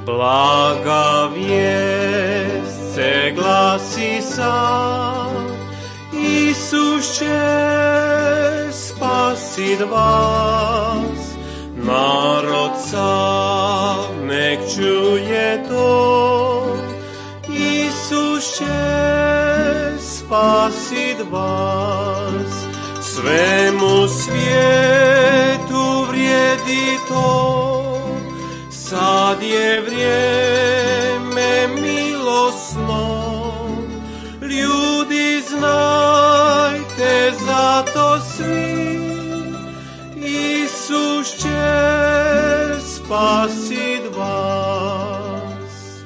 Blaga vijest se glasi sad, Isus će spasit vas. Narod sav nek čuje to, Isus će spasit vas. Svemu svijetu vrijedi to, sad je vrijeme milosno. Ljudi, znajte zato svi, Isus će spasit vas.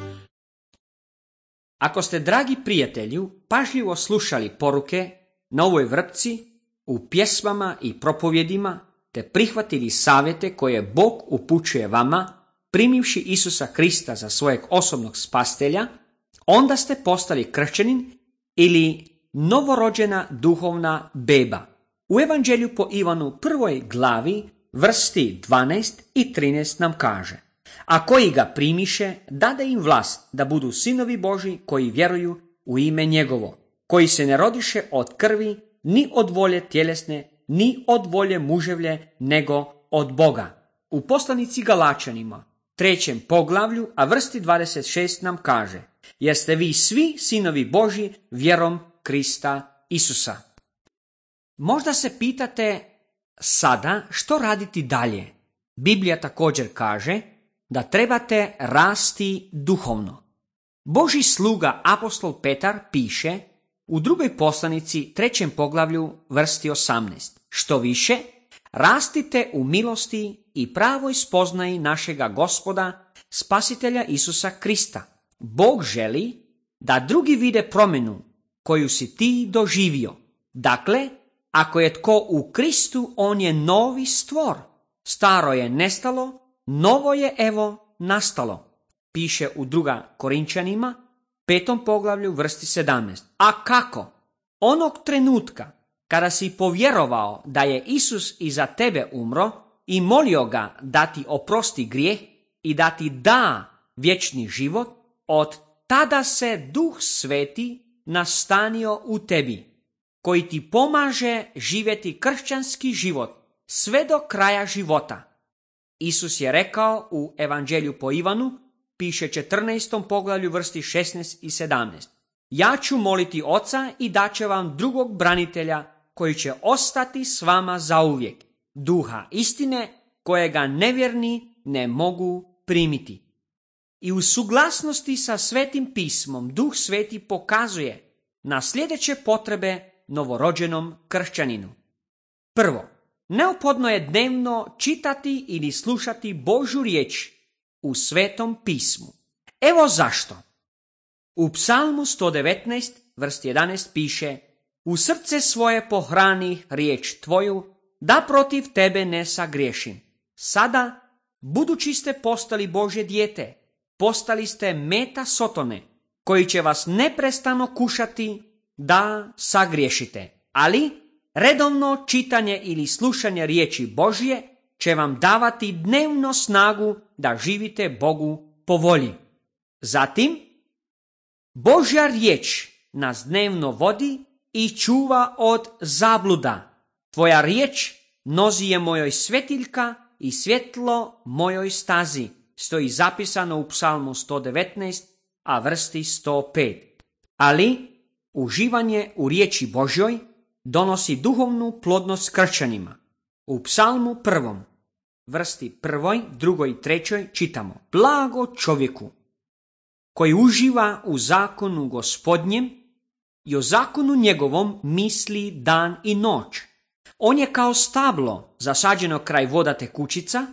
Ako ste, dragi prijatelju, pažljivo slušali poruke na ovoj vrpci, u pjesmama i propovjedima, te prihvatili savjete koje Bog upućuje vama, primivši Isusa Krista za svojeg osobnog spasitelja, onda ste postali kršćanin ili novorođena duhovna beba. U Evanđelju po Ivanu 1. glavi, vrsti 12 i 13 nam kaže: a koji ga primiše, dade im vlast da budu sinovi Božji koji vjeruju u ime njegovo, koji se ne rodiše od krvi, ni od volje tjelesne, ni od volje muževlje, nego od Boga. U poslanici Galačanima, 3. poglavlju, a vrsti 26 nam kaže: jer ste vi svi sinovi Božji vjerom Krista Isusa. Možda se pitate sada što raditi dalje. Biblija također kaže da trebate rasti duhovno. Božji sluga apostol Petar piše u drugoj poslanici 3. poglavlju vrsti 18: što više, rastite u milosti i pravoj spoznaji našega Gospoda, spasitelja Isusa Krista. Bog želi da drugi vide promjenu koju si ti doživio. Dakle, ako je tko u Kristu, on je novi stvor. Staro je nestalo, novo je evo nastalo. Piše u 2. Korinčanima, 5. poglavlju vrsti 17. A kako? Onog trenutka kada si povjerovao da je Isus i za tebe umro i molio ga da ti oprosti grijeh i da ti da vječni život, od tada se Duh Sveti nastanio u tebi, koji ti pomaže živjeti kršćanski život sve do kraja života. Isus je rekao u Evanđelju po Ivanu, piše 14. poglavlju vrsti 16 i 17: ja ću moliti Oca i daće vam drugog branitelja koji će ostati s vama zauvijek, Duha istine kojega nevjerni ne mogu primiti. I u suglasnosti sa Svetim pismom Duh Sveti pokazuje na sljedeće potrebe novorođenom kršćaninu. Prvo, neophodno je dnevno čitati ili slušati Božju riječ u Svetom pismu. Evo zašto. U Psalmu 119, vrst 11 piše: u srce svoje pohrani riječ tvoju, da protiv tebe ne sagriješim. Sada, budući ste postali Božje dijete, postali ste meta Sotone, koji će vas neprestano kušati da sagriješite. Ali redovno čitanje ili slušanje riječi Božje će vam davati dnevno snagu da živite Bogu po volji. Zatim, Božja riječ nas dnevno vodi i čuva od zabluda. Tvoja riječ nozi je mojoj svetiljka i svjetlo mojoj stazi, stoji zapisano u Psalmu 119, a vrsti 105. Ali uživanje u riječi Božjoj donosi duhovnu plodnost kršćanima. U Psalmu 1, vrsti 1, 2 i 3 čitamo: blago čovjeku koji uživa u zakonu Gospodnjem i o zakonu njegovom misli dan i noć. On je kao stablo zasađeno kraj voda tekućica,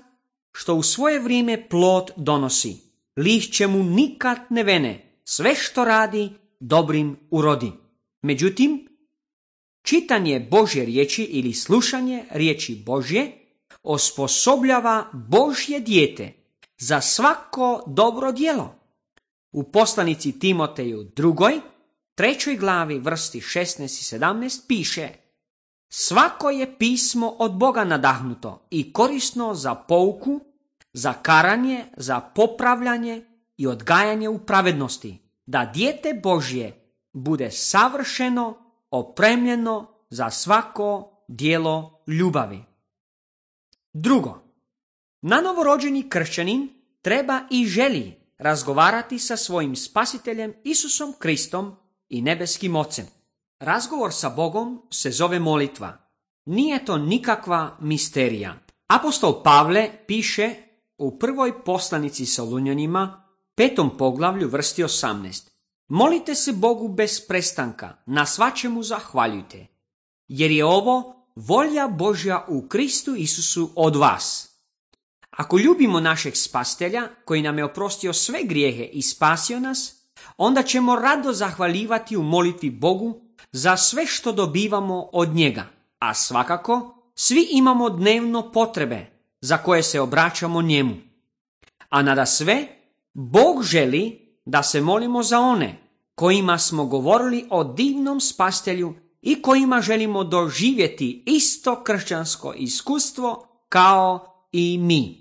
što u svoje vrijeme plod donosi. Lišće mu nikad ne vene, sve što radi dobrim urodi. Međutim, Čitanje Božje riječi ili slušanje riječi Božje osposobljava Božje dijete za svako dobro djelo. U poslanici Timoteju 2. 3. glavi vrsti 16 i 17 piše: svako je pismo od Boga nadahnuto i korisno za pouku, za karanje, za popravljanje i odgajanje u pravednosti, da dijete Božje bude savršeno, opremljeno za svako djelo ljubavi. Drugo, nanovorođeni kršćanin treba i želi razgovarati sa svojim spasiteljem Isusom Kristom i nebeskim Ocem. Razgovor sa Bogom se zove molitva. Nije to nikakva misterija. Apostol Pavle piše u prvoj poslanici Solunjanima, 5. poglavlju vrsti 18. Molite se Bogu bez prestanka, na svačemu zahvaljujte, jer je ovo volja Božja u Kristu Isusu od vas. Ako ljubimo našeg spasitelja, koji nam je oprostio sve grijehe i spasio nas, onda ćemo rado zahvaljivati u molitvi Bogu za sve što dobivamo od njega, a svakako svi imamo dnevno potrebe za koje se obraćamo njemu. A nada sve, Bog želi da se molimo za one kojima smo govorili o divnom spasitelju i kojima želimo doživjeti isto kršćansko iskustvo kao i mi.